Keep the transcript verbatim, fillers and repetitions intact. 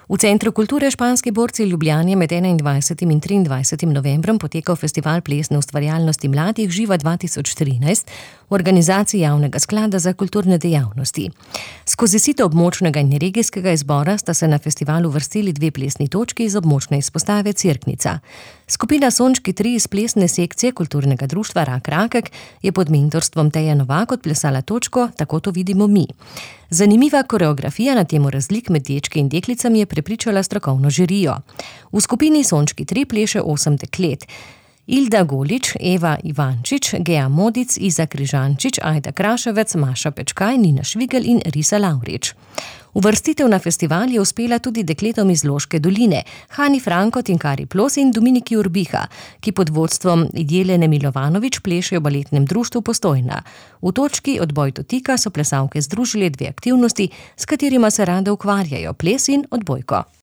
V Centru kulture Španski borci Ljubljane med enaindvajsetim in triindvajsetim novembrom potekal festival plesne ustvarjalnosti mladih Živa dva tisoč trinajst v organizaciji Javnega sklada za kulturne dejavnosti. Skozi sito območnega in regijskega izbora sta se na festivalu vrstili dve plesni točki iz območne izpostave Cerknica. Skupina Sončki tri iz plesne sekcije kulturnega društva Rak Rakek je pod mentorstvom Teje Novak odplesala točko Tako to vidimo mi. Zanimiva koreografija na temo razlik med dečki in deklicami je prepričala strokovno žirijo. V skupini Sončki tri pleše osem deklet. Ilda Golič, Eva Ivančič, Gea Modic, Iza Križančič, Ajda Kraševec, Maša Pečkaj, Nina Švigel in Risa Lavrič. Uvrstitev na festival je uspela tudi dekletom iz Loške doline, Hani Franko, Tinkari Plos in Dominiki Urbiha, ki pod vodstvom Jelene Milovanovič plešejo v baletnem društvu Postojna. V točki Odboj dotika so plesalke združile dve aktivnosti, s katerima se rade ukvarjajo, ples in odbojko.